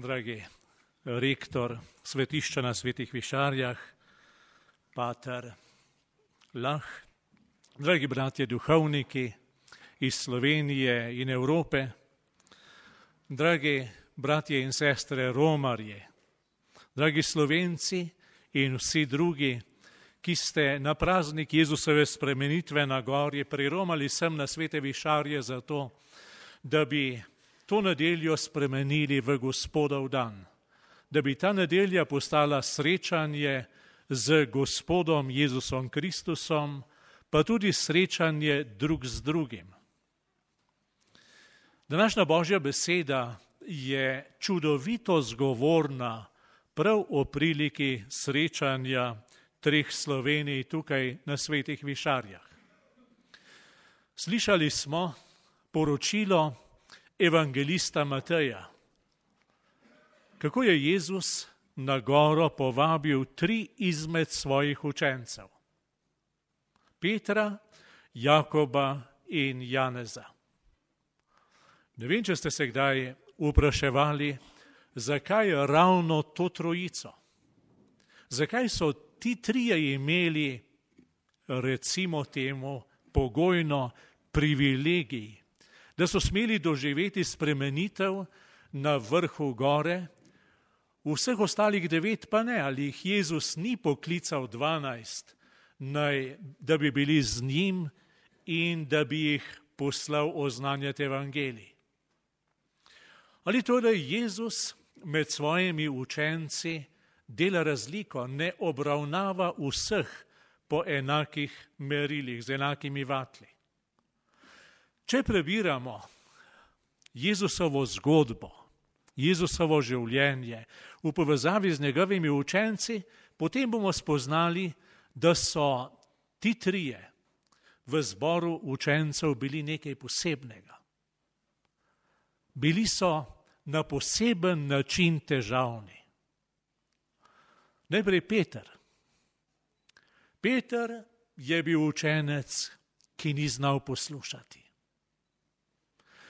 dragi rektor svetišča na Svetih Višarjah, pater Lah, dragi bratje duhovniki iz Slovenije in Evrope, dragi bratje in sestre romarje, dragi Slovenci in vsi drugi, ki ste na praznik Jezusove spremenitve na gori priromali sem na Svete Višarje zato, da bi to nedeljo spremenili v Gospodov dan, da bi ta nedelja postala srečanje z Gospodom Jezusom Kristusom, pa tudi srečanje drug z drugim. Današnja Božja beseda je čudovito zgovorna prav o priliki srečanja treh Slovenij tukaj na Svetih Višarjah. Slišali smo poročilo evangelista Mateja, kako je Jezus na goro povabil 3 izmed svojih učencev, Petra, Jakoba in Janeza. Ne vem, če ste se kdaj vpraševali, zakaj ravno to trojico? Zakaj so ti trije imeli, recimo temu, pogojno privilegij, da so smeli doživeti spremenitev na vrhu gore, vseh ostalih 9 pa ne, ali jih Jezus ni poklical 12, da bi bili z njim in da bi jih poslal oznanjati evangelij. Ali torej Jezus med svojimi učenci dela razliko, ne obravnava vseh po enakih merilih, z enakimi vatli. Če prebiramo Jezusovo zgodbo, Jezusovo življenje v povezavi z njegovimi učenci, potem bomo spoznali, da so ti trije v zboru učencev bili nekaj posebnega. Bili so na poseben način težavni. Najprej Peter. Peter je bil učenec, ki ni znal poslušati.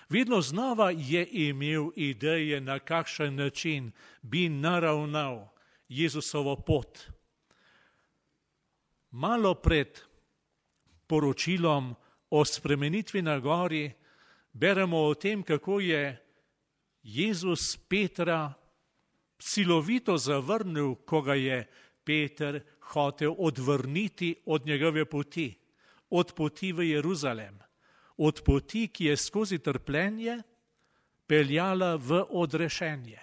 Vedno znova je imel ideje, na kakšen način bi naravnal Jezusovo pot. Malo pred poročilom o spremenitvi na gori beremo o tem, kako je Jezus Petra silovito zavrnil, ko ga je Peter hotel odvrniti od njegove poti, od poti v Jeruzalem, od poti, ki je skozi trpljenje peljala v odrešenje.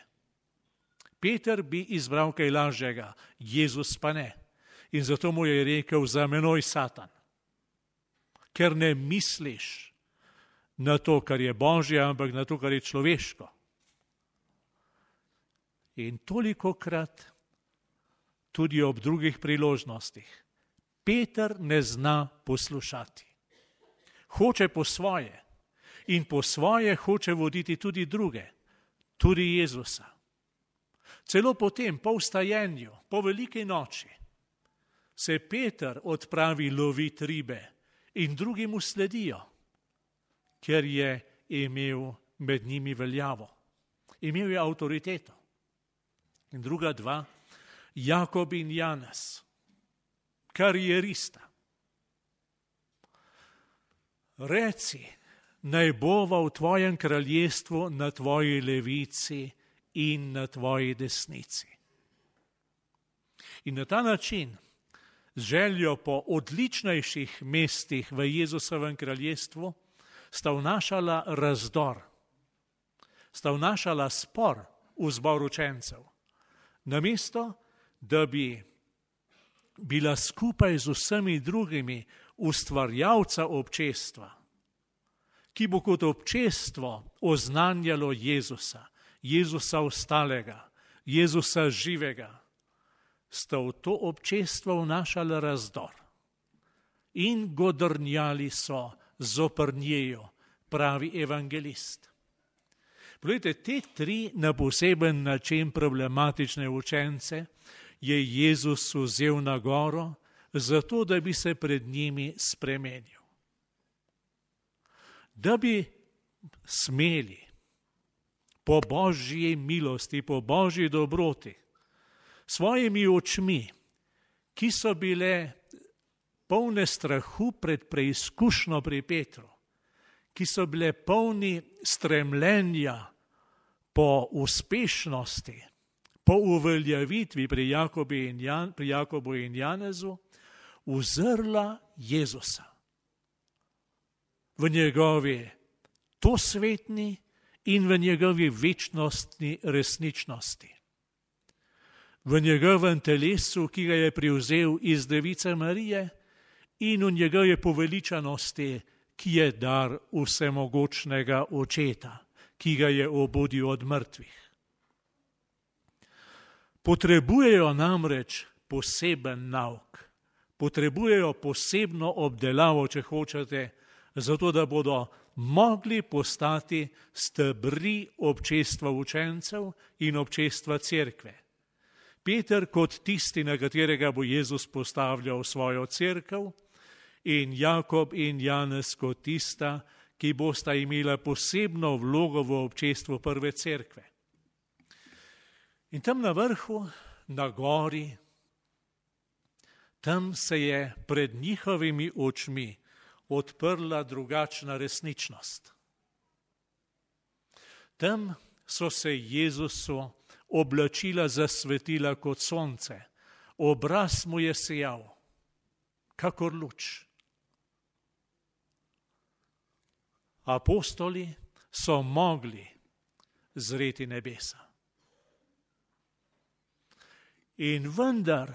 Peter bi izbral kaj lažjega, Jezus pa ne. In zato mu je rekel: za menoj, Satan, ker ne misliš na to, kar je Božje, ampak na to, kar je človeško. In tolikokrat, tudi ob drugih priložnostih, Peter ne zna poslušati. Hoče po svoje in po svoje hoče voditi tudi druge, tudi Jezusa. Celo potem, po vstajenju, po veliki noči, se Peter odpravi loviti ribe in drugi mu sledijo, ker je imel med njimi veljavo, imel je avtoriteto. In druga 2, Jakob in Janez, karierista. Reci, naj bova v tvojem kraljestvu na tvoji levici in na tvoji desnici. In na ta način, z željo po odličnejših mestih v Jezusovem kraljestvu, sta vnašala razdor, sta vnašala spor v zbor učencev. Namesto, da bi bila skupaj z vsemi drugimi ustvarjalca občestva, ki bo kot občestvo oznanjalo Jezusa, Jezusa ostalega, Jezusa živega, sta v to občestvo vnašala razdor in godrnjali so zoper njejo, pravi evangelist. Poglejte, te 3 na poseben način problematične učence je Jezus vzel na goro, zato da bi se pred njimi spremenil. Da bi smeli po Božji milosti, po Božji dobroti, svojimi očmi, ki so bile polne strahu pred preizkušnjo pri Petru, ki so bile polni stremljenja po uspešnosti, po uveljavitvi pri Jakobu in Janezu, uzrla Jezusa v njegovi dosvetni in v njegovi večnostni resničnosti. V njegovem telesu, ki ga je prevzel iz Device Marije, in v njegovi poveličanosti, ki je dar vsemogočnega Očeta, ki ga je obudil od mrtvih. Potrebujejo namreč poseben nauk, potrebujejo posebno obdelavo, če hočete, zato da bodo mogli postati stebri občestva učencev in občestva cerkve. Peter kot tisti, na katerega bo Jezus postavljal svojo cerkev, in Jakob in Janez kot tista, ki bosta imela posebno vlogo v občestvu prve cerkve. In tam na vrhu, na gori, tam se je pred njihovimi očmi odprla drugačna resničnost. Tam so se Jezusu oblačila zasvetila kot sonce, obraz mu je sijal, kakor luč. Apostoli so mogli zreti nebesa. In vendar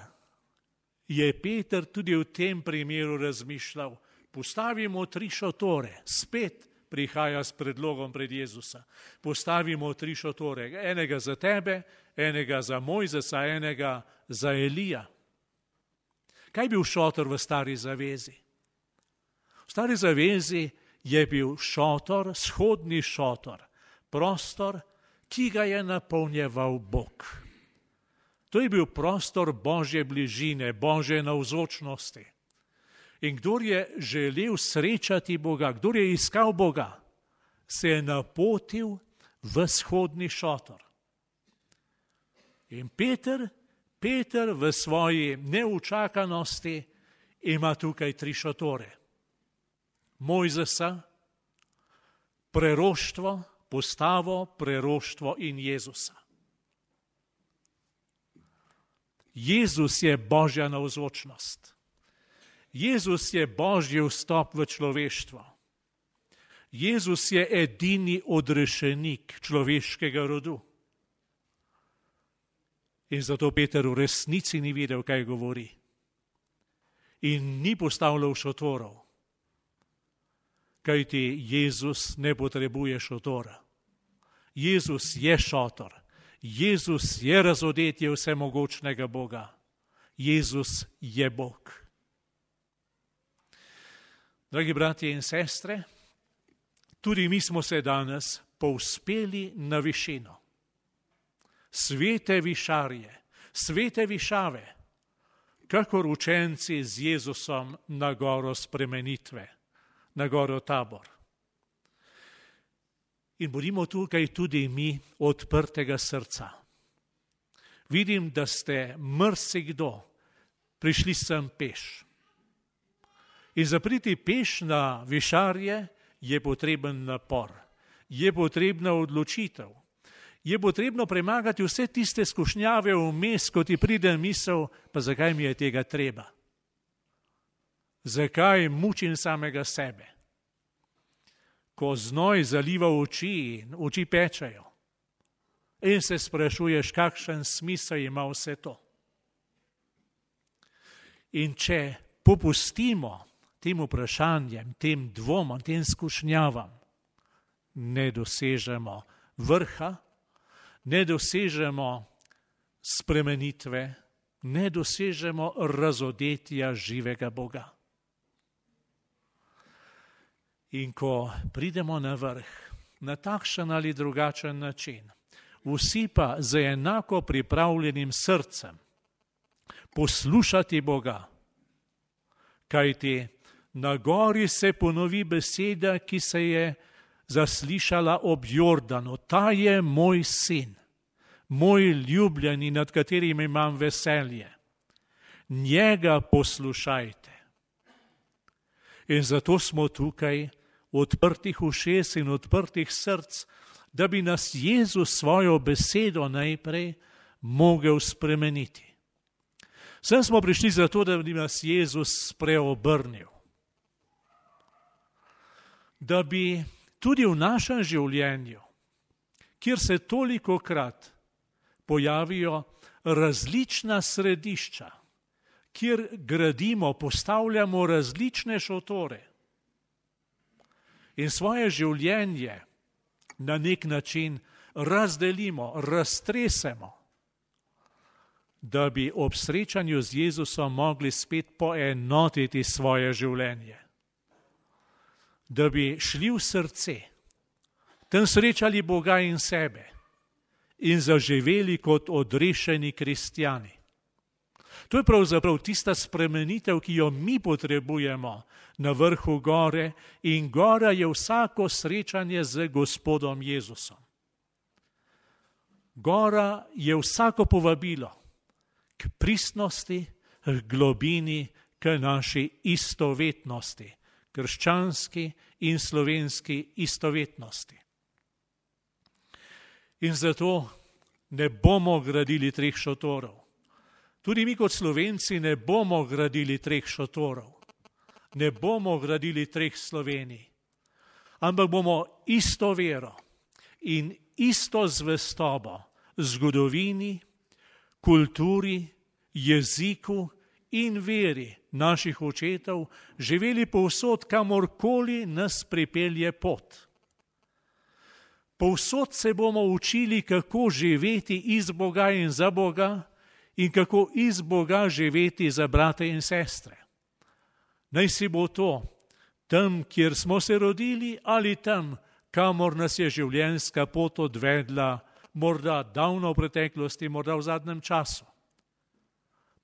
je Peter tudi v tem primeru razmišljal, postavimo 3 šotore, spet prihaja s predlogom pred Jezusa. Postavimo 3 šotore, enega za tebe, enega za Mojzesa, enega za Elija. Kaj je bil šotor v Stari zavezi? V Stari zavezi je bil šotor, shodni šotor, prostor, ki ga je napolnjeval Bog. To je bil prostor Božje bližine, Božje navzočnosti. In kdor je želel srečati Boga, kdor je iskal Boga, se je napotil v shodni šotor. In Peter v svoji neučakanosti ima tukaj 3 šotore. Mojzesa, preroštvo, postavo, preroštvo in Jezusa. Jezus je Božja navzočnost. Jezus je Božji vstop v človeštvo. Jezus je edini odrešenik človeškega rodu. In zato Peter v resnici ni videl, kaj govori. In ni postavljal šotorov. Kajti Jezus ne potrebuje šotora. Jezus je šotor. Jezus je razodetje vsemogočnega Boga. Jezus je Bog. Dragi bratje in sestre, tudi mi smo se danes povzpeli na višino. Svete višarje, svete višave, kakor učenci z Jezusom na goro spremenitve, na goro Tabor. In bodimo tukaj tudi mi odprtega srca. Vidim, da ste marsikdo prišli sem peš. In za priti peš na višarje je potreben napor, je potrebna odločitev, je potrebno premagati vse tiste skušnjave vmes, ko ti pride misel, pa zakaj mi je tega treba? Zakaj mučim samega sebe? Ko znoj zaliva oči in oči pečejo in se sprašuješ, kakšen smisel ima vse to. In če popustimo tem vprašanjem, tem dvomom, tem skušnjavam, ne dosežemo vrha, ne dosežemo spremenitve, ne dosežemo razodetja živega Boga. In ko pridemo na vrh, na takšen ali drugačen način, vsi pa z enako pripravljenim srcem poslušati Boga, kajti na gori se ponovi beseda, ki se je zaslišala ob Jordanu: ta je moj sin, moj ljubljeni, nad katerim imam veselje. Njega poslušajte. In zato smo tukaj odprtih ušes in odprtih src, da bi nas Jezus svojo besedo najprej mogel spremeniti. Sem smo prišli zato, da bi nas Jezus preobrnil. Da bi tudi v našem življenju, kjer se tolikokrat pojavijo različna središča, kjer gradimo, postavljamo različne šotore in svoje življenje na nek način razdelimo, raztresemo, da bi ob srečanju z Jezusom mogli spet poenotiti svoje življenje. Da bi šli v srce, tam srečali Boga in sebe in zaživeli kot odrešeni kristjani. To je pravzaprav tista spremenitev, ki jo mi potrebujemo na vrhu gore, in gora je vsako srečanje z Gospodom Jezusom. Gora je vsako povabilo k pristnosti, k globini, k naši istovetnosti, krščanski in slovenski istovetnosti. In zato ne bomo gradili 3 šotorov. Tudi mi kot Slovenci ne bomo gradili 3 šotorov. Ne bomo gradili 3 Slovenij. Ampak bomo isto vero in isto zvestobo zgodovini, kulturi, jeziku in veri naših očetov živeli povsod, kamorkoli nas pripelje pot. Povsod se bomo učili, kako živeti iz Boga in za Boga in kako iz Boga živeti za brate in sestre. Naj si bo to tam, kjer smo se rodili, ali tam, kamor nas je življenjska pot odvedla, morda davno v preteklosti, morda v zadnjem času.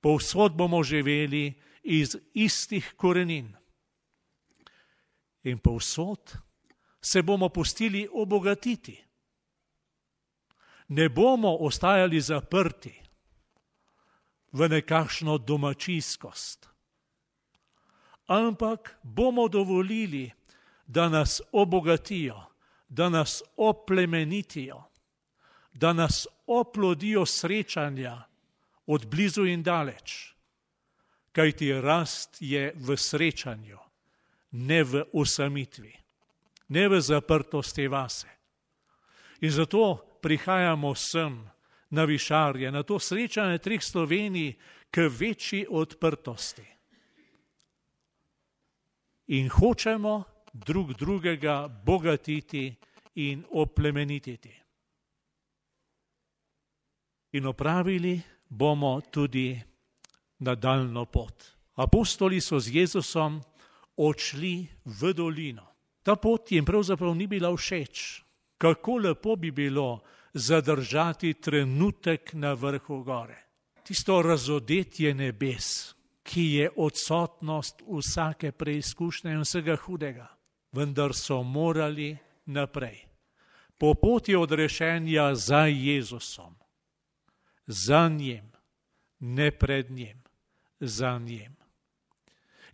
Povsod bomo živeli iz istih korenin. In povsod se bomo pustili obogatiti. Ne bomo ostajali zaprti v nekakšno domačijskost, ampak bomo dovolili, da nas obogatijo, da nas oplemenitijo, da nas oplodijo srečanja od blizu in daleč, kajti rast je v srečanju, ne v osamitvi, ne v zaprtosti vase. In zato prihajamo sem na Višarje, na to srečanje 3 Slovenij, k večji odprtosti. In hočemo drug drugega bogatiti in oplemenititi. In opravili bomo tudi nadaljnjo pot. Apostoli so z Jezusom odšli v dolino. Ta pot jim pravzaprav ni bila všeč. Kako lepo bi bilo zadržati trenutek na vrhu gore. Tisto razodetje nebes, ki je odsotnost vsake preizkušnje in vsega hudega. Vendar so morali naprej. Po poti odrešenja za Jezusom. Za njim, ne pred njim, za njim.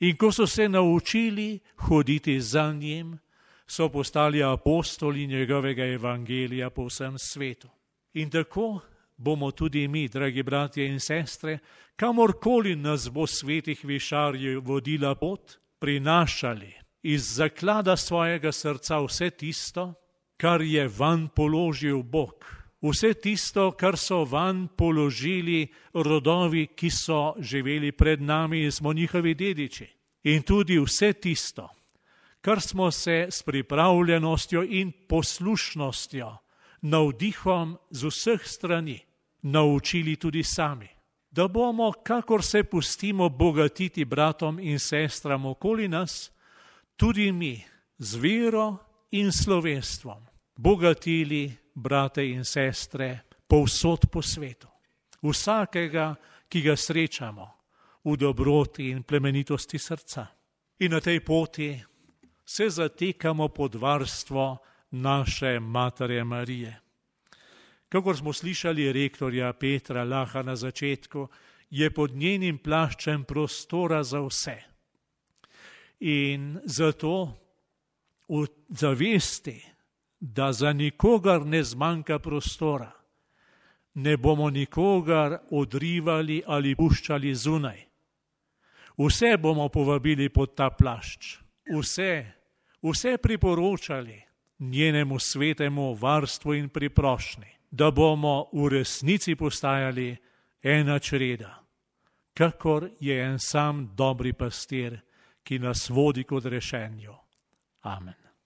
In ko so se naučili hoditi za njim, so postali apostoli njegovega evangelija po vsem svetu. In tako bomo tudi mi, dragi bratje in sestre, kamorkoli nas bo svetih Višarjev vodila pot, prinašali iz zaklada svojega srca vse tisto, kar je vanj položil Bog. Vse tisto, kar so vanj položili rodovi, ki so živeli pred nami in smo njihovi dediči. In tudi vse tisto, kar smo se s pripravljenostjo in poslušnostjo, navdihom z vseh strani, naučili tudi sami. Da bomo, kakor se pustimo bogatiti bratom in sestram okoli nas, tudi mi z vero in slovenstvom bogatili brate in sestre povsod po svetu. Vsakega, ki ga srečamo v dobroti in plemenitosti srca. In na tej poti se zatekamo pod varstvo naše Matere Marije. Kakor smo slišali rektorja Petra Laha na začetku, je pod njenim plaščem prostora za vse. In zato v zavesti, da za nikogar ne zmanjka prostora, ne bomo nikogar odrivali ali puščali zunaj. Vse bomo povabili pod ta plašč, vse priporočali njenemu svetemu varstvu in priprošnji, da bomo v resnici postajali ena čreda, kakor je en sam dobri pastir, ki nas vodi k odrešenju. Amen.